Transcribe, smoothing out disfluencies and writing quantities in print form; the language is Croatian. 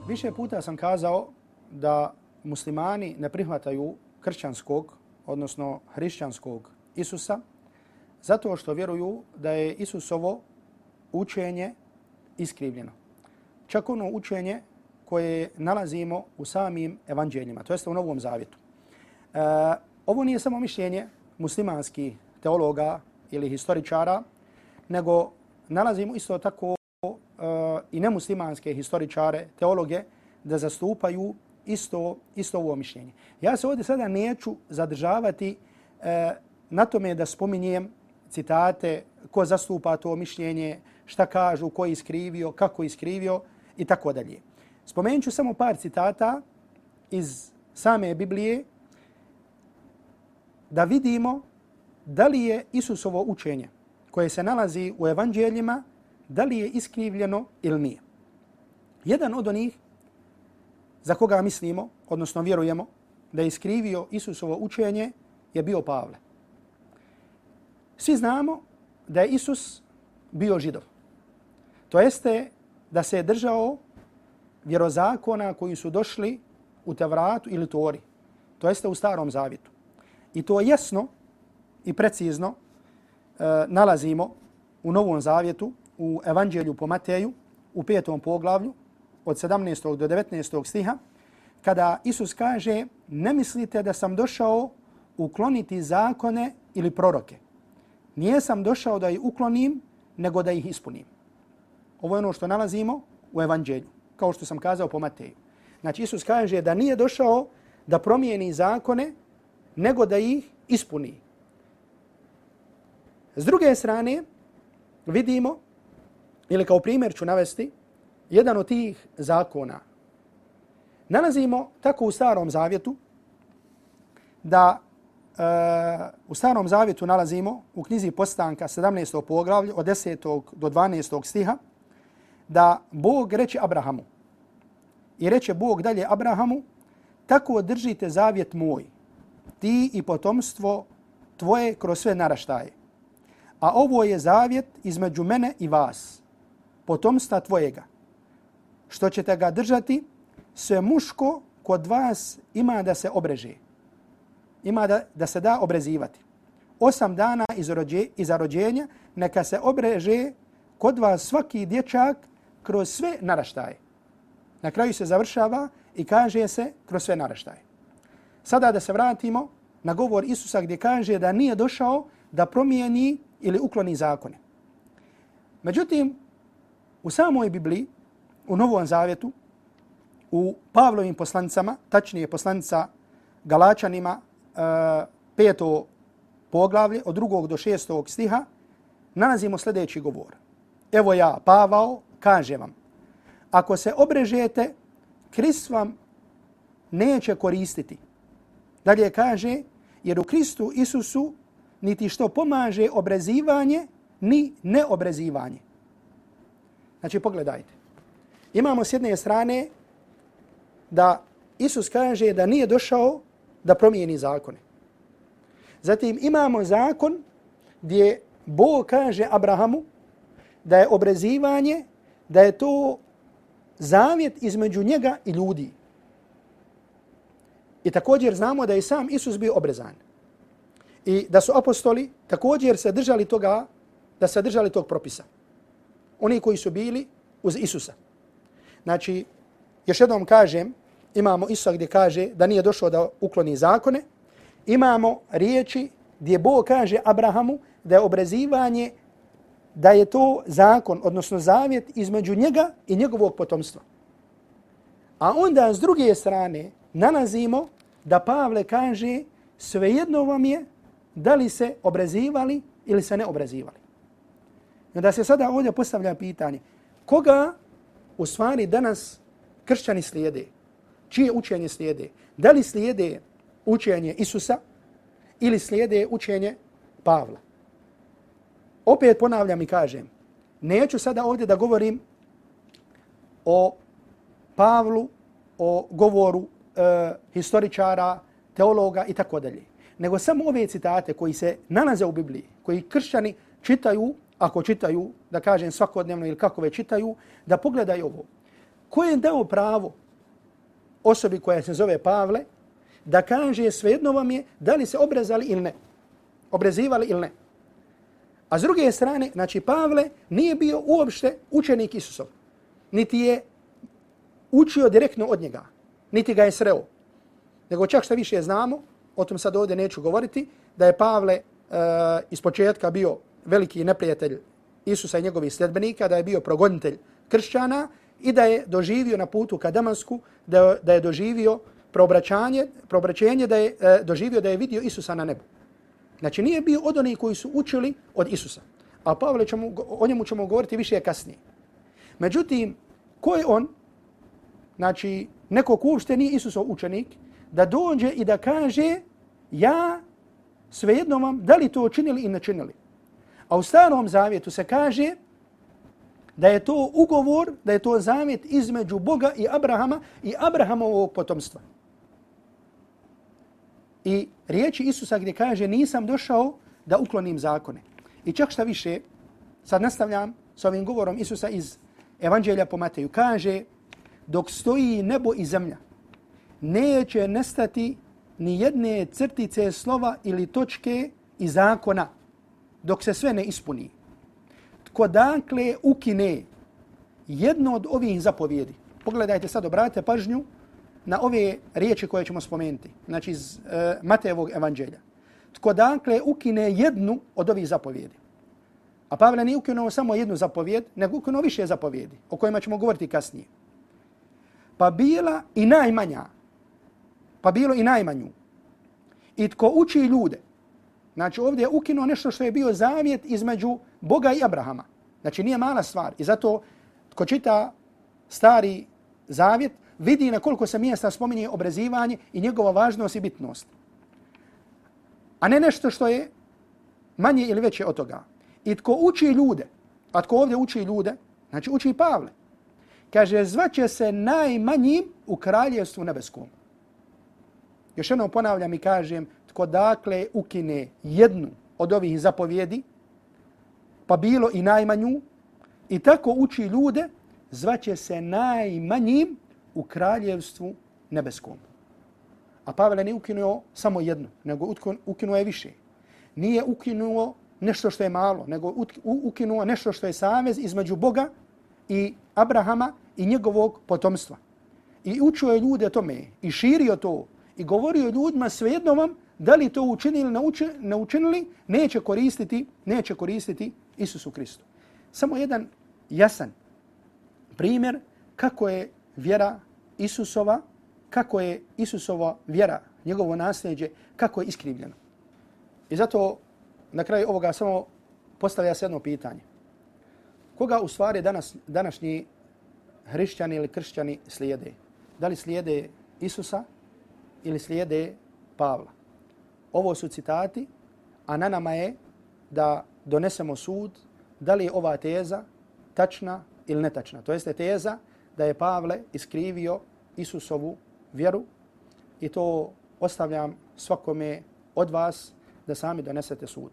Više puta sam kazao da muslimani ne prihvataju kršćanskog, odnosno hrišćanskog Isusa, zato što vjeruju da je Isusovo učenje iskrivljeno. Čak ono učenje koje nalazimo u samim evanđeljima, to jeste u Novom Zavjetu. Ovo nije samo mišljenje muslimanskih teologa ili historičara, nego nalazimo isto tako i nemuslimanske historičare, teologe, da zastupaju isto ovo mišljenje. Ja se ovdje sada neću zadržavati na tome da spominjem citate, ko zastupa to mišljenje, šta kažu, ko je iskrivio, kako je iskrivio i tako dalje. Spomenut ću samo par citata iz same Biblije da vidimo da li je Isusovo učenje koje se nalazi u evanđeljima, da li je iskrivljeno ili nije. Jedan od onih za koga mislimo, odnosno vjerujemo, da je iskrivio Isusovo učenje je bio Pavle. Svi znamo da je Isus bio Židov. To jeste da se je držao vjerozakona koji su došli u Tevratu ili Tori. To jeste u Starom Zavjetu. I to jasno i precizno nalazimo u Novom Zavjetu, u Evanđelju po Mateju, u 5. poglavlju, od 17. do 19. stiha, kada Isus kaže: ne mislite da sam došao ukloniti zakone ili proroke. Nijesam došao da ih uklonim, nego da ih ispunim. Ovo je ono što nalazimo u Evanđelju, kao što sam kazao po Mateju. Znači, Isus kaže da nije došao da promijeni zakone, nego da ih ispuni. S druge strane, vidimo, ili kao primjer ću navesti, jedan od tih zakona. Nalazimo tako u Starom Zavjetu, da u Starom Zavjetu nalazimo u knjizi Postanka 17. poglavlje od 10. do 12. stiha, da Bog reče Abrahamu. I reče Bog dalje Abrahamu: tako držite zavjet moj, ti i potomstvo tvoje kroz sve naraštaje. A ovo je zavjet između mene i vas, potomstva tvojega, što ćete ga držati, sve muško kod vas ima da se obreže. Ima da se da obrezivati. 8 dana iza rođenja neka se obreže kod vas svaki dječak kroz sve naraštaje. Na kraju se završava i kaže se kroz sve naraštaje. Sada da se vratimo na govor Isusa gdje kaže da nije došao da promijeni ili ukloni zakone. Međutim, u samoj Bibliji, u Novom Zavjetu, u Pavlovim poslanicama, tačnije poslanica Galačanima, 5. poglavlje, od 2. do 6. stiha, nalazimo sljedeći govor. Evo ja, Pavao, kažem vam, ako se obrežete, Krist vam neće koristiti. Dalje kaže, jer u Kristu Isusu niti što pomaže obrezivanje, ni neobrezivanje. Znači, pogledajte. Imamo s jedne strane da Isus kaže da nije došao da promijeni zakone. Zatim imamo zakon gdje Bog kaže Abrahamu da je obrezivanje, da je to zavjet između njega i ljudi. I također znamo da je sam Isus bio obrezan. I da su apostoli također se držali toga, da se držali tog propisa. Oni koji su bili uz Isusa. Znači, još jednom kažem, imamo Isusa gdje kaže da nije došao da ukloni zakone. Imamo riječi gdje Bog kaže Abrahamu da je obrezivanje, da je to zakon, odnosno zavjet između njega i njegovog potomstva. A onda s druge strane nalazimo da Pavle kaže svejedno vam je da li se obrezivali ili se ne obrezivali. I onda se sada ovdje postavlja pitanje, koga u stvari danas kršćani slijede? Čije učenje slijede? Da li slijede učenje Isusa ili slijede učenje Pavla? Opet ponavljam i kažem, neću sada ovdje da govorim o Pavlu, o govoru historičara, teologa i tako dalje, nego samo ove citate koji se nalaze u Bibliji, koji kršćani čitaju, ako čitaju, da kažem svakodnevno ili kako već čitaju, da pogledaju ovo. ko je dao pravo osobi koja se zove Pavle da kaže svejedno vam je da li se obrezali ili ne, obrezivali ili ne. A s druge strane, znači Pavle nije bio uopšte učenik Isusov, niti je učio direktno od njega, niti ga je sreo. Nego čak što više znamo, o tom sad ovdje neću govoriti, da je Pavle iz početka bio veliki neprijatelj Isusa i njegovih sljedbenika, da je bio progonitelj kršćana i da je doživio na putu ka Damasku, da je doživio preobraćenje, da je doživio da je vidio Isusa na nebu. Znači nije bio od onih koji su učili od Isusa. A Pavle o njemu ćemo govoriti više kasnije. Međutim, ko je on, znači neko ko uopšte nije Isusov učenik, da dođe i da kaže ja svejedno vam da li to činili i ne činili. A u Starom Zavjetu se kaže da je to ugovor, da je to zavjet između Boga i Abrahama i Abrahamovog potomstva. I riječi Isusa gdje kaže nisam došao da uklonim zakone. I čak šta više, sad nastavljam s ovim govorom Isusa iz Evanđelja po Mateju. Kaže, dok stoji nebo i zemlja, neće nestati ni jedne crtice slova ili točke iz zakona, dok se sve ne ispuni. Tko dakle ukine jedno od ovih zapovjedi. Pogledajte sad, obratite pažnju na ove riječi koje ćemo spomenuti. Znači iz Matejevog evanđelja. Tko dakle ukine jednu od ovih zapovjedi. A Pavle nije ukinuo samo jednu zapovjed, nego ukinuo više zapovjedi, o kojima ćemo govoriti kasnije. Pa bila i najmanja, pa bilo i najmanju. I tko uči ljude. Znači ovdje je ukinuo nešto što je bio zavjet između Boga i Abrahama. Znači nije mala stvar. I zato tko čita Stari Zavjet vidi na koliko se mjesta spominje obrezivanje i njegova važnost i bitnost. A ne nešto što je manje ili veće od toga. I tko uči ljude, a tko ovdje uči ljude, znači uči Pavle. Kaže, zvaće se najmanjim u kraljevstvu nebeskom. Još jednom ponavljam i kažem, tko dakle ukine jednu od ovih zapovjedi, pa bilo i najmanju, i tako uči ljude, zvaće se najmanjim u kraljevstvu nebeskom. A Pavle nije ukinuo samo jednu, nego ukinuo je više. Nije ukinuo nešto što je malo, nego ukinuo nešto što je savez između Boga i Abrahama i njegovog potomstva. I učio je ljude tome i širio to i govorio ljudima svejedno vam da li to učinili ili ne učinili, neće koristiti Isusu Kristu. Samo jedan jasan primjer kako je vjera Isusova, kako je Isusova vjera, njegovo nasljeđe, kako je iskrivljeno. I zato na kraju ovoga samo postavlja se jedno pitanje. Koga u stvari današnji hrišćani ili kršćani slijede? Da li slijede Isusa ili slijede Pavla? Ovo su citati, a na nama je da donesemo sud da li je ova teza tačna ili netačna. To jeste teza da je Pavle iskrivio Isusovu vjeru i to ostavljam svakome od vas da sami donesete sud.